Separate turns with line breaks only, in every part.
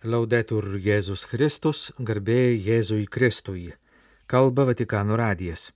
Laudetur Jėzus Kristus, garbė Jėzui Kristui. Kalba Vatikano radijas.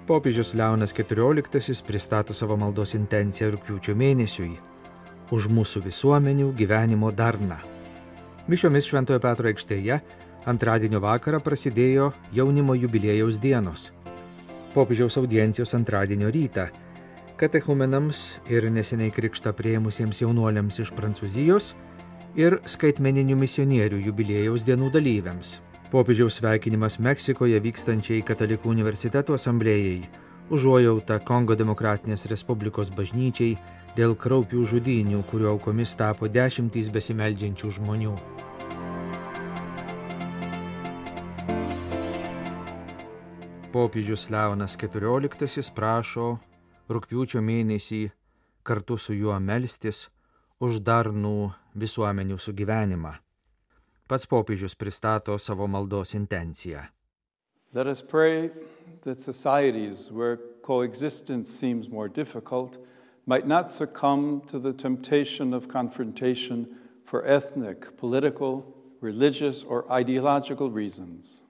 Popiežius Leonas XIV pristato savo maldos intenciją rugpjūčio mėnesiui už mūsų visuomenių gyvenimo darną. Mišiomis Šventojo Petro aikštėje antradienio vakarą prasidėjo jaunimo jubiliejaus dienos. Popiežiaus audiencijos antradienio rytą katechumenams ir neseniai krikštą priėmusiems jaunuoliams iš Prancūzijos ir skaitmeninių misionierių jubiliejaus dienų dalyviams. Popiežiaus sveikinimas Meksikoje vykstančiai Katalikų universiteto asamblėjai, užuojauta Kongo Demokratinės Respublikos bažnyčiai dėl kraupių žudynių, kurių aukomis tapo dešimtys besimeldžiančių žmonių. Popiežius Leonas XIV prašo rugpjūčio mėnesį kartu su juo melstis už darnų visuomenių sugyvenimą. Pats popiežius pristato savo maldos intenciją.
Let us pray that societies where coexistence seems more difficult might not succumb to the temptation of confrontation for ethnic, political, religious or ideological reasons.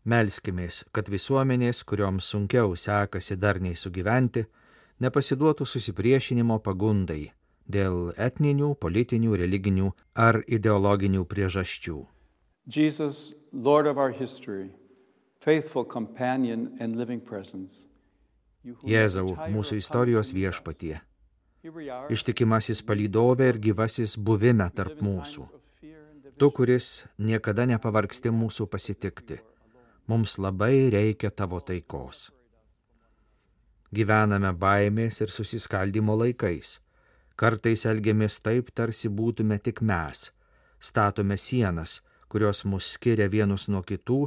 Melskimės, kad visuomenės, kurioms sunkiau sekasi darniai sugyventi, nepasiduotų susipriešinimo pagundai dėl etninių, politinių, religinių ar ideologinių priežasčių.
Jesus, Lord of our history, faithful companion and living presence.
Jėzau, mūsų istorijos viešpatie, ištikimasis palydovė ir gyvasis buvime tarp mūsų. Tu, kuris niekada nepavargsti mūsų pasitikti. Mums labai reikia tavo taikos. Gyvename baimės ir susiskaldimo laikais. Kartais elgiamės taip, tarsi būtume tik mes. Statome sienas, kurios mus skiria vienus nuo kitų,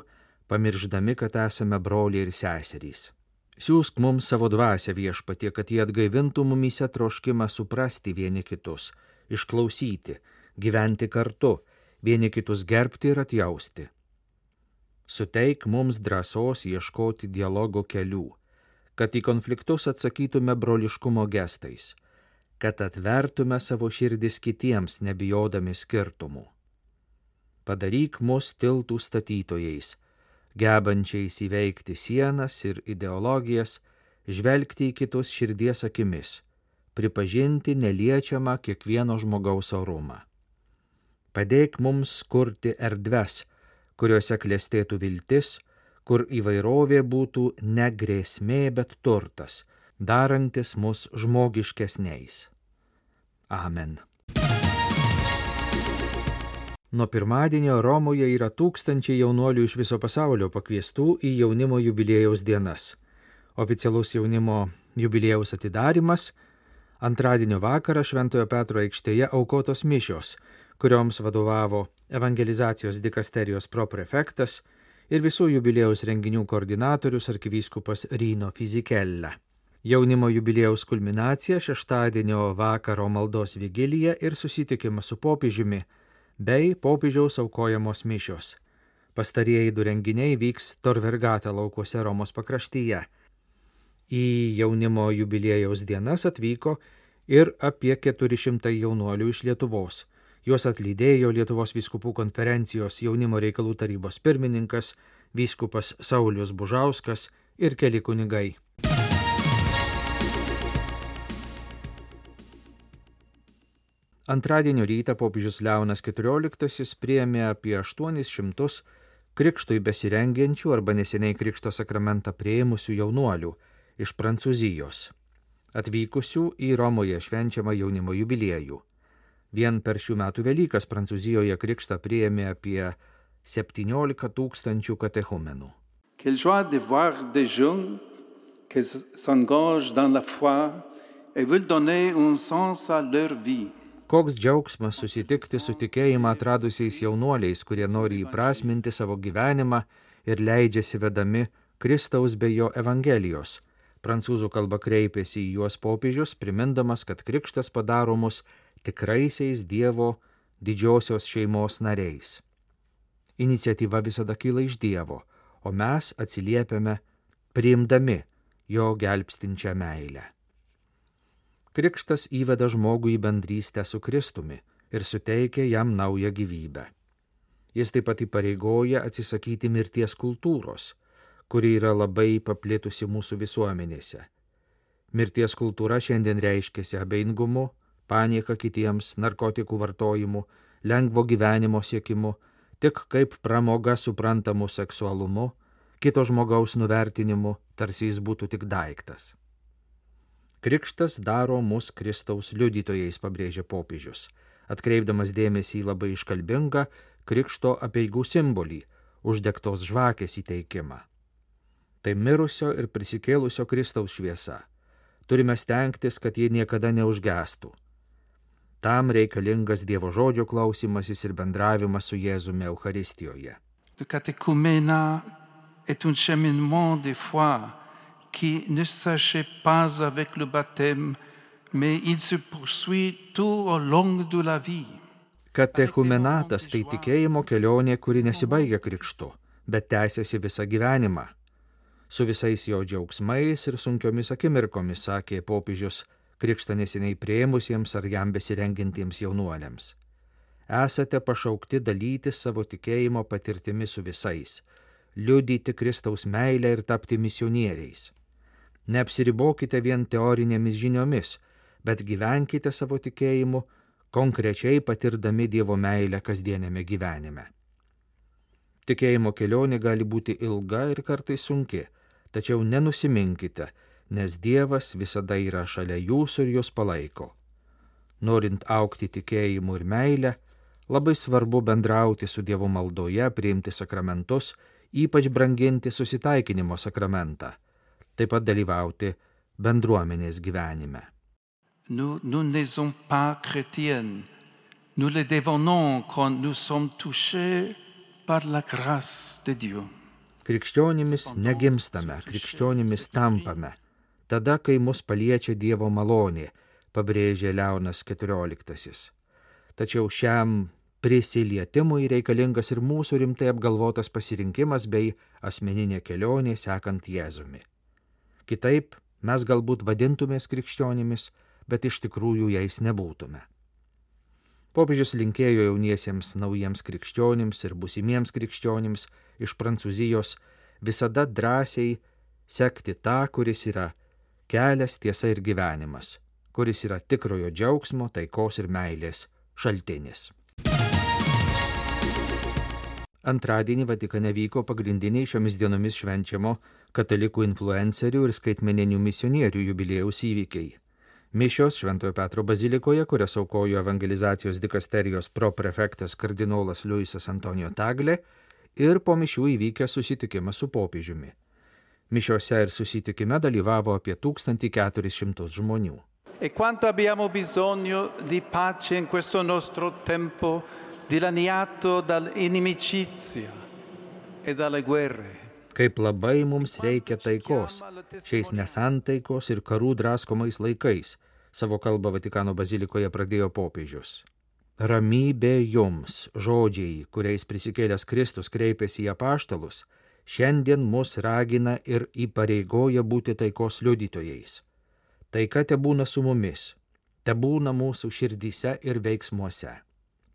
pamirždami, kad esame broliai ir seserys. Siųsk mums savo dvasią, viešpatie, kad jie atgaivintų mumyse troškimą suprasti vieni kitus, išklausyti, gyventi kartu, vieni kitus gerbti ir atjausti. Suteik mums drąsos ieškoti dialogo kelių, kad į konfliktus atsakytume broliškumo gestais, kad atvertume savo širdis kitiems, nebijodami skirtumų. Padaryk mus tiltų statytojais, gebančiais įveikti sienas ir ideologijas, žvelgti į kitus širdies akimis, pripažinti neliečiamą kiekvieno žmogaus orumą. Padėk mums kurti erdves, kuriuose klestėtų viltis, kur įvairovė būtų ne grėsmė, bet turtas, darantis mus žmogiškesniais. Amen. Nuo pirmadienio Romoje yra tūkstančiai jaunuolių iš viso pasaulio pakviestų į jaunimo jubiliejaus dienas. Oficialus jaunimo jubiliejaus atidarimas antradienio vakarą Šventojo Petro aikštėje aukotos mišios, kurioms vadovavo evangelizacijos dikasterijos proprefektas ir visų jubiliejaus renginių koordinatorius arkivyskupas Rino Fisichella. Jaunimo jubiliejaus kulminacija šeštadienio vakaro maldos vigilija ir susitikimas su popiežiumi bei popiežiaus aukojamos mišios. Pastarieji du renginiai vyks Tor Vergata laukuose Romos pakraštyje. Į jaunimo jubiliejaus dienas atvyko ir apie 400 jaunuolių iš Lietuvos. Juos atlydėjo Lietuvos vyskupų konferencijos jaunimo reikalų tarybos pirmininkas, vyskupas Saulius Bužauskas ir keli kunigai. Antradienio rytą popiežius Leonas XIV priėmė apie 800 krikštui besirengiančių arba neseniai krikšto sakramentą priėmusių jaunuolių iš Prancūzijos, atvykusių į Romoje švenčiamą jaunimo jubiliejų. Vien per šių metų Velykas Prancūzijoje krikštą priėmė apie 17 000 katechumenų.
Quelle joie de voir des jeunes qui s'engagent dans la foi et veulent donner un sens à leur vie.
Koks džiaugsmas susitikti su tikėjimą atradusiais jaunuoliais, kurie nori įprasminti savo gyvenimą ir leidžiasi vedami Kristaus bei jo evangelijos. Prancūzų kalba kreipėsi į juos popiežius, primindamas, kad krikštas padaro mus tikraisiais Dievo didžiosios šeimos nariais. Iniciatyva visada kyla iš Dievo, o mes atsiliepiame priimdami jo gelbstinčią meilę. Krikštas įveda žmogų į bendrystę su Kristumi ir suteikia jam naują gyvybę. Jis taip pat įpareigoja atsisakyti mirties kultūros, kuri yra labai paplitusi mūsų visuomenėse. Mirties kultūra šiandien reiškiasi abejingumu, panieka kitiems, narkotikų vartojimu, lengvo gyvenimo siekimu, tik kaip pramoga suprantamu seksualumu, kito žmogaus nuvertinimu, tarsi jis būtų tik daiktas. Krikštas daro mus Kristaus liudytojais, pabrėžia popiežius, atkreipdamas dėmesį į labai iškalbingą krikšto apeigų simbolį – uždegtos žvakės įteikimą. Tai mirusio ir prisikėlusio Kristaus šviesa. Turime stengtis, kad ji niekada neužgestų. Tam reikalingas Dievo žodžio klausymasis ir bendravimas su Jėzumi Eucharistijoje.
Le catéchuménat est un cheminement de foi qui ne s'achève pas avec le baptême, mais il se poursuit tout au long de la vie.
Katechumenatas tai tikėjimo kelionė, kuri nesibaigia krikštu, bet tęsiasi visą gyvenimą. Su visais jo džiaugsmais ir sunkiomis akimirkomis, sakė popiežius, krikštą neseniai priėmusiems ar jam besirengintiems jaunuoliams. Esate pašaukti dalytis savo tikėjimo patirtimi su visais, liudyti Kristaus meilę ir tapti misionieriais. Neapsiribokite vien teorinėmis žiniomis, bet gyvenkite savo tikėjimu, konkrečiai patirdami Dievo meilę kasdienėme gyvenime. Tikėjimo kelionė gali būti ilga ir kartais sunki, tačiau nenusiminkite, nes Dievas visada yra šalia jūsų ir jūs palaiko. Norint augti tikėjimu ir meilę, labai svarbu bendrauti su Dievu maldoje, priimti sakramentus, ypač branginti susitaikinimo sakramentą, taip pat dalyvauti bendruomenės gyvenime.
Nous ne sommes pas chrétiens. Nous le devenons quand nous sommes touchés par la grâce de Dieu.
Krikščionimis negimstame, krikščionimis tampame, tada, kai mus paliečia Dievo malonė, pabrėžė Leonas XIV. Tačiau šiam prisilietimui reikalingas ir mūsų rimtai apgalvotas pasirinkimas bei asmeninė kelionė sekant Jėzumi. Kitaip mes galbūt vadintumės krikščionimis, bet iš tikrųjų jais nebūtume. Popiežius linkėjo jauniesiems naujiems krikščionims ir būsimiems krikščionims iš Prancūzijos visada drąsiai sekti tą, kuris yra kelias, tiesa ir gyvenimas, kuris yra tikrojo džiaugsmo, taikos ir meilės šaltinis. Antradienį Vatikane vyko pagrindiniai šiomis dienomis švenčiamo katalikų influencerių ir skaitmeninių misionierių jubiliejaus įvykiai. Mišios Šventojo Petro bazilikoje, kurias aukojo evangelizacijos dikasterijos proprefektas kardinolas Luisas Antonijo Tagle, ir po mišių įvykęs susitikimas su popiežiumi. Mišiose ir susitikime dalyvavo apie 1400 žmonių.
E quanto abbiamo bisogno di pace in questo nostro tempo dilaniato dall'inimicizia e dalle guerre.
Kaip labai mums reikia taikos šiais nesantaikos ir karų draskomais laikais, savo kalbą Vatikano bazilikoje pradėjo popiežius. Ramybė jums, žodžiai, kuriais prisikėlęs Kristus kreipėsi į apaštalus, šiandien mus ragina ir įpareigoja būti taikos liudytojais. Taika tebūna su mumis, tebūna mūsų širdyse ir veiksmuose.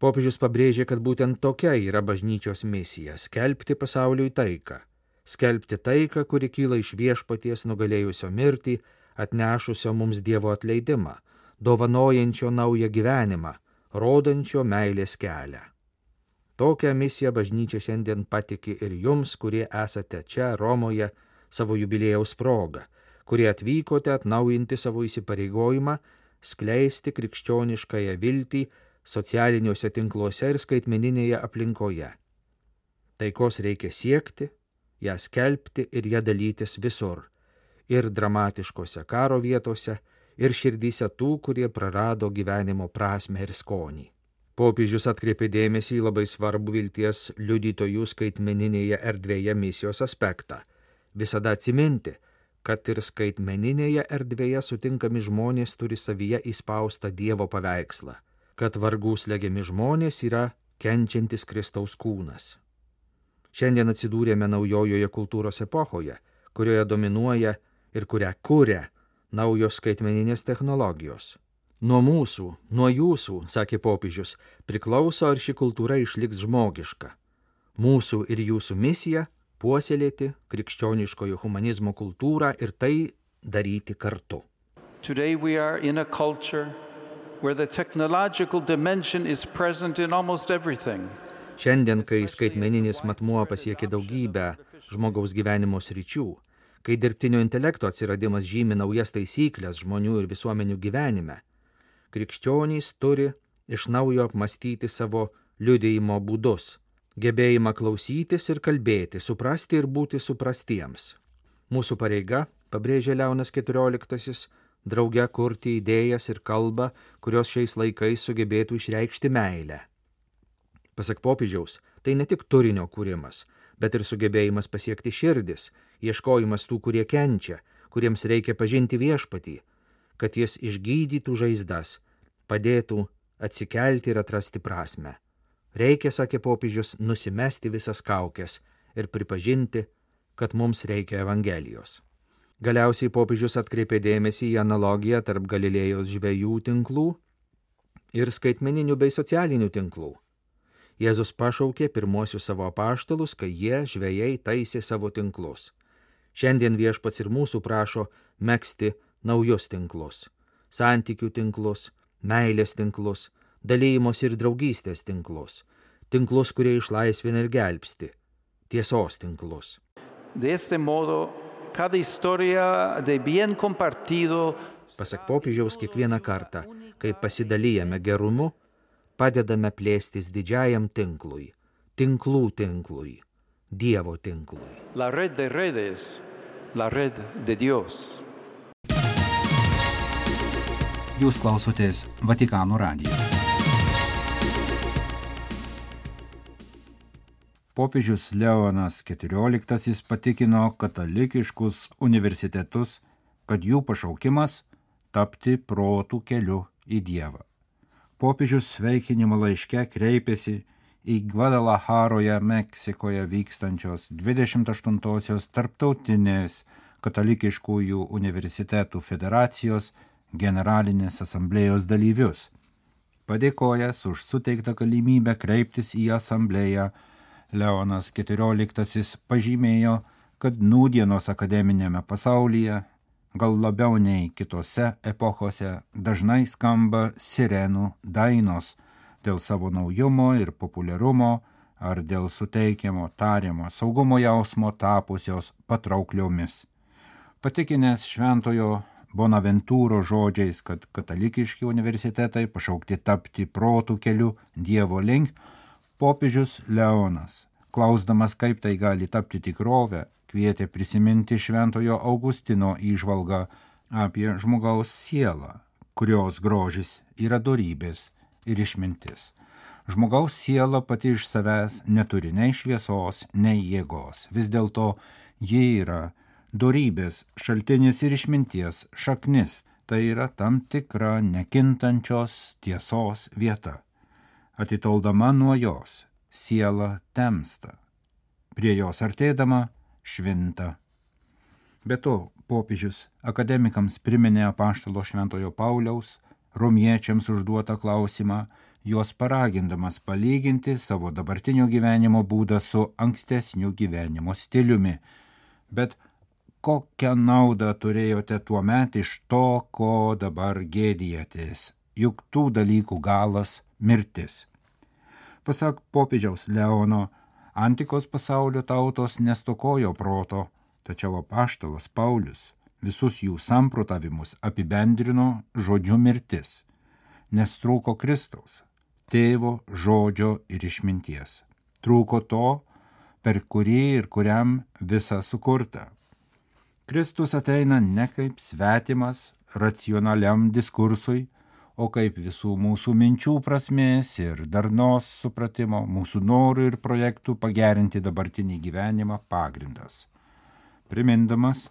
Popiežius pabrėžė, kad būtent tokia yra bažnyčios misija – skelbti pasauliui taiką. Skelbti taiką, kuri kyla iš viešpaties nugalėjusio mirtį, atnešusio mums Dievo atleidimą, dovanojančio naują gyvenimą, rodančio meilės kelią. Tokią misiją bažnyčia šiandien patiki ir jums, kurie esate čia Romoje savo jubiliejaus proga, kurie atvykote atnaujinti savo įsipareigojimą, skleisti krikščioniškąją viltį socialiniuose tinkluose ir skaitmeninėje aplinkoje. Taikos reikia siekti, ją skelbti ir ją dalytis visur, ir dramatiškose karo vietose, ir širdyse tų, kurie prarado gyvenimo prasmę ir skonį. Popiežius atkreipė dėmesį į labai svarbų vilties liudytojų skaitmeninėje erdvėje misijos aspektą. Visada atsiminti, kad ir skaitmeninėje erdvėje sutinkami žmonės turi savyje įspaustą Dievo paveikslą, kad vargų slegiami žmonės yra kenčiantis Kristaus kūnas. Šiandien atsidūrėme naujojoje kultūros epochoje, kurioje dominuoja ir kurią kuria naujos skaitmeninės technologijos. Nuo mūsų, nuo jūsų, sakė popiežius, priklauso, ar ši kultūra išliks žmogiška. Mūsų ir jūsų misija – puoselėti krikščioniškojo humanizmo kultūrą ir tai daryti kartu.
Today we are in a culture where the technological dimension is present in almost everything.
Šiandien, kai skaitmeninis matmuo pasiekia daugybę žmogaus gyvenimo sričių, kai dirbtinio intelekto atsiradimas žymi naujas taisyklės žmonių ir visuomenių gyvenime, krikščionys turi iš naujo apmastyti savo liudijimo būdus, gebėjimą klausytis ir kalbėti, suprasti ir būti suprastiems. Mūsų pareiga, pabrėžė Leonas XIV, drauge kurti idėjas ir kalbą, kurios šiais laikais sugebėtų išreikšti meilę. Pasak popiežiaus, tai ne tik turinio kūrimas, bet ir sugebėjimas pasiekti širdis, ieškojimas tų, kurie kenčia, kuriems reikia pažinti viešpatį, kad jis išgydytų žaizdas, padėtų atsikelti ir atrasti prasmę. Reikia, sakė popiežius, nusimesti visas kaukes ir pripažinti, kad mums reikia Evangelijos. Galiausiai popiežius atkreipė dėmesį į analogiją tarp Galilėjos žvejų tinklų ir skaitmeninių bei socialinių tinklų. Jėzus pašaukė pirmuosius savo apaštalus, kai jie, žvejai, taisė savo tinklus. Šiandien viešpats ir mūsų prašo megzti naujus tinklus, santykių tinklus, meilės tinklus, dalyjimos ir draugystės tinklus, tinklus, kurie išlaisvina ir gelbsti, tiesos tinklus.
De este modo, cada historia de bien compartido.
Pasak popiežiaus, kiekvieną kartą, kai pasidalijame gerumu, padedame plėstis didžiajam tinklui, tinklui, Dievo tinklui.
La red de redes, la red de Dios.
Jūs klausotės Vatikano radijo. Popiežius Leonas XIV patikino katalikiškus universitetus, kad jų pašaukimas tapti protų keliu į Dievą. Popiežius sveikinimo laiške kreipėsi į Gvadalacharoje, Meksikoje vykstančios 28-osios tarptautinės katalikiškųjų universitetų federacijos generalinės asamblėjos dalyvius. Padėkojęs už suteiktą galimybę kreiptis į asamblėją, Leonas XIV pažymėjo, kad nūdienos akademinėme pasaulyje, gal labiau nei kitose epochose, dažnai skamba sirenų dainos dėl savo naujumo ir populiarumo ar dėl suteikiamo tariamo saugumo jausmo tapusios patraukliomis. Patikinęs šventojo Bonaventūro žodžiais, kad katalikiški universitetai pašaukti tapti protų keliu Dievo link, popiežius Leonas, klausdamas, kaip tai gali tapti tikrovę, kvietė prisiminti šventojo Augustino įžvalgą apie žmogaus sielą, kurios grožis yra dorybės ir išmintis. Žmogaus siela pati iš savęs neturi nei šviesos, nei jėgos. Vis dėlto ji yra dorybės šaltinis ir išminties šaknis, tai yra tam tikra nekintančios tiesos vieta. Atitoldama nuo jos, siela temsta, prie jos artėdama švinta. Be to, popiežius akademikams priminė apaštalo šventojo Pauliaus, romiečiams užduotą klausimą, juos paragindamas palyginti savo dabartinio gyvenimo būdą su ankstesniu gyvenimo stiliumi. Bet kokią naudą turėjote tuomet iš to, ko dabar gėdijatės? Juk tų dalykų galas mirtis. Pasak popiežiaus Leono, antikos pasaulio tautos nestokojo proto, tačiau apaštalas Paulius visus jų samprotavimus apibendrino žodžiu mirtis, nes trūko Kristaus, tėvo, žodžio ir išminties. Trūko to, per kurį ir kuriam visa sukurta. Kristus ateina ne kaip svetimas racionaliam diskursui, o kaip visų mūsų minčių prasmės ir darnos supratimo, mūsų norų ir projektų pagerinti dabartinį gyvenimą pagrindas. Primindamas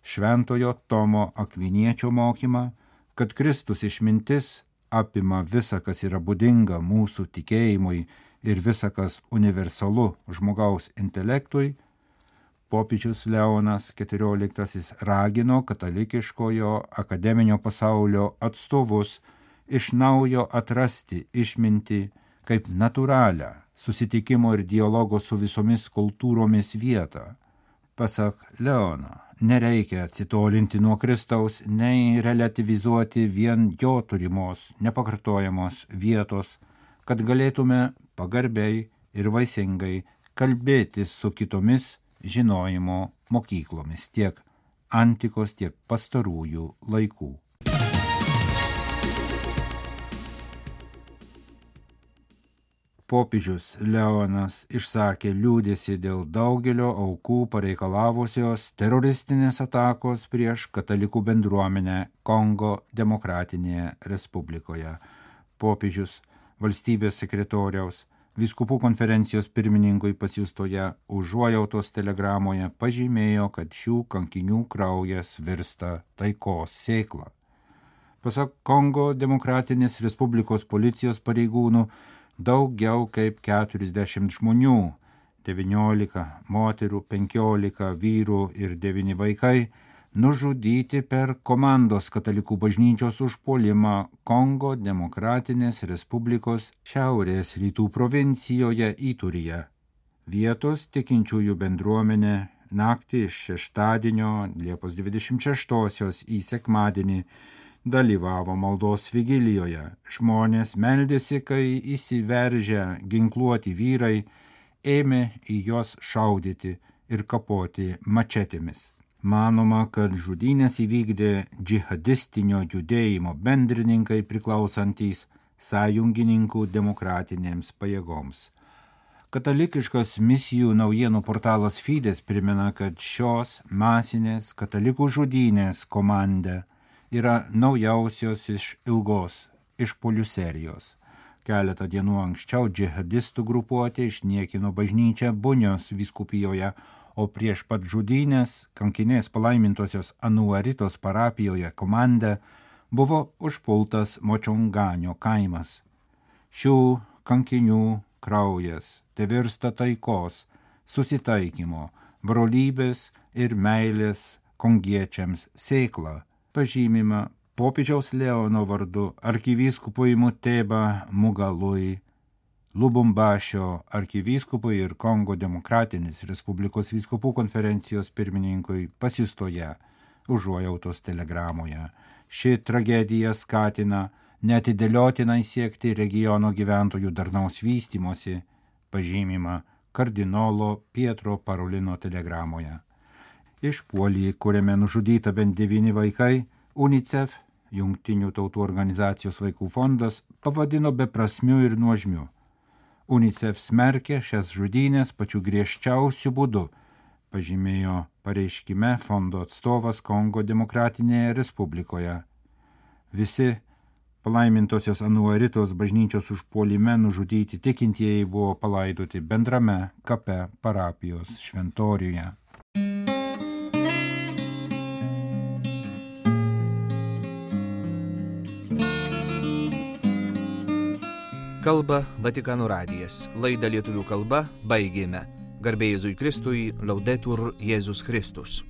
šventojo Tomo Akviniečio mokymą, kad Kristus išmintis apima visa, kas yra būdinga mūsų tikėjimui ir visa, kas universalu žmogaus intelektui, popiežius Leonas XIV ragino katalikiškojo akademinio pasaulio atstovus iš naujo atrasti išmintį kaip natūralią susitikimo ir dialogo su visomis kultūromis vietą. Pasak Leono, nereikia atsitolinti nuo Kristaus, nei relativizuoti vien jo turimos, nepakartojamos vietos, kad galėtume pagarbiai ir vaisingai kalbėtis su kitomis žinojimo mokyklomis tiek antikos, tiek pastarųjų laikų. Popiežius Leonas išsakė liūdesį dėl daugelio aukų pareikalavusios teroristinės atakos prieš katalikų bendruomenę Kongo Demokratinėje Respublikoje. Popiežius valstybės sekretoriaus vyskupų konferencijos pirmininkui pasiųstoje užuojautos telegramoje pažymėjo, kad šių kankinių kraujas virsta taikos sėkla. Pasak Kongo Demokratinės Respublikos policijos pareigūnų, daugiau kaip 40 žmonių, 19 moterų, 15 vyrų ir 9 vaikai, nužudyti per komandos katalikų bažnyčios užpuolimą Kongo Demokratinės Respublikos šiaurės rytų provincijoje Itūryje. Vietos tikinčiųjų bendruomenė naktį iš šeštadienio Liepos 26 į sekmadienį dalyvavo maldos vigilijoje. Žmonės meldėsi, kai įsiveržę ginkluoti vyrai ėmė į juos šaudyti ir kapoti mačetėmis. Manoma, kad žudynės įvykdė džihadistinio judėjimo bendrininkai priklausantys sąjungininkų demokratinėms pajėgoms. Katalikiškas misijų naujienų portalas Fides primena, kad šios masinės katalikų žudynės komanda yra naujausios iš ilgos išpuolių serijos. Keletą dienų anksčiau džihadistų grupuotė išniekino bažnyčią Bunios vyskupijoje, o prieš pat žudynės kankinės palaimintosios Anuaritos parapijoje komanda buvo užpultas Močonganio kaimas. Šių kankinių kraujas tevirsta taikos, susitaikymo, brolybės ir meilės kongiečiams sėkla, pažymima popiežiaus Leono vardu arkivyskupui Muteba Mugalui, Lubumbašio arkivyskupui ir Kongo Demokratinės Respublikos vyskupų konferencijos pirmininkui pasiųstoje užuojautos telegramoje. Ši tragedija skatina neatidėliotinai siekti regiono gyventojų darnaus vystymosi, pažymima kardinolo Pietro Parolino telegramoje. Išpuolį, kuriame nužudyta bent 9 vaikai, UNICEF, Jungtinių tautų organizacijos vaikų fondas, pavadino beprasmiu ir nuožmiu. UNICEF smerkė šias žudynės pačiu griežčiausiu būdu, pažymėjo pareiškime fondo atstovas Kongo Demokratinėje Respublikoje. Visi palaimintosios Anuaritos bažnyčios užpuolime nužudyti tikintieji buvo palaidoti bendrame kape parapijos šventoriuje.
Kalba Vatikano radijas. Laidą lietuvių kalba baigėme. Garbė Jėzui Kristui, Laudetur Jėzus Kristus.